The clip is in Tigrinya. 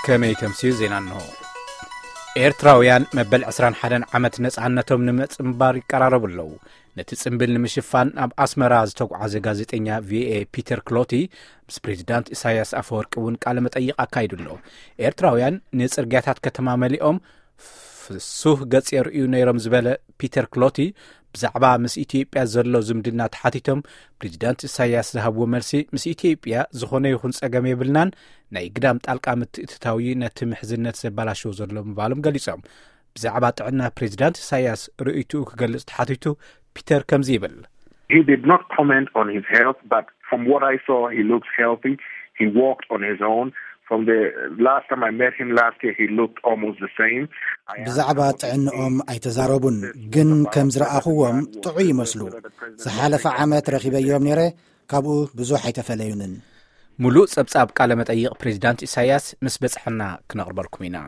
ከመይ ተምስዩ ዜና እንሆ። ኤርትራውያን መበል ዕስራን ሓደን ዓመት ነጻነቶም ንምጽንባር ይቀራረቡ ኣለዉ። ነቲ ጽምብል ንምሽፋን ናብ ኣስመራ ዝተጓዓዘ ጋዜጠኛ ቪኦኤ ፒተር ክሎቲ ምስ ፕሬዚዳንት ኢሳያስ ኣፈወርቂ እውን ቃለ መጠይቕ ኣካይዱ ኣሎ። ኤርትራውያን ንጽርግያታት ከተማ መሊኦም ፍሱህ ገጽ የርእዩ ነይሮም ዝበለ ፒተር ክሎቲ፣ ብዛዕባ ምስ ኢትዮጵያ ዘሎ ዝምድና ተሓቲቶም፣ ፕሬዚዳንት ኢሳያስ ዝሃብዎ መልሲ፣ ምስ ኢትዮጵያ ዝኾነ ይኹን ጸገም የብልናን፣ ናይ ግዳም ጣልቃ ምትእትታው እዩ ነቲ ምሕዝነት ዘበላሽዎ ዘሎ ምባሎም ገሊጾም። ብዛዕባ ጥዕና ፕሬዚዳንት ኢሳያስ ርእይትኡ ክገልጽ ተሓቲቱ፣ ፒተር ከምዚ ይብል። He did not comment on his health, but from what I saw, he looks healthy. He walked on his own. From the last time I met him last year, he looked almost the same. ብዛዕባ ጥዕንኦም ኣይተዛረቡን፣ ግን ከም ዝረኣኹዎም ጥዑይ ይመስሉ። ዝሓለፈ ዓመት ረኺበዮም ነይረ፣ ካብኡ ብዙሕ ኣይተፈለዩንን። ሙሉእ ጸብጻብ ቃለ መጠይቕ ፕሬዚዳንት ኢሳያስ ምስ በጽሐና ክነቕርበልኩም ኢና።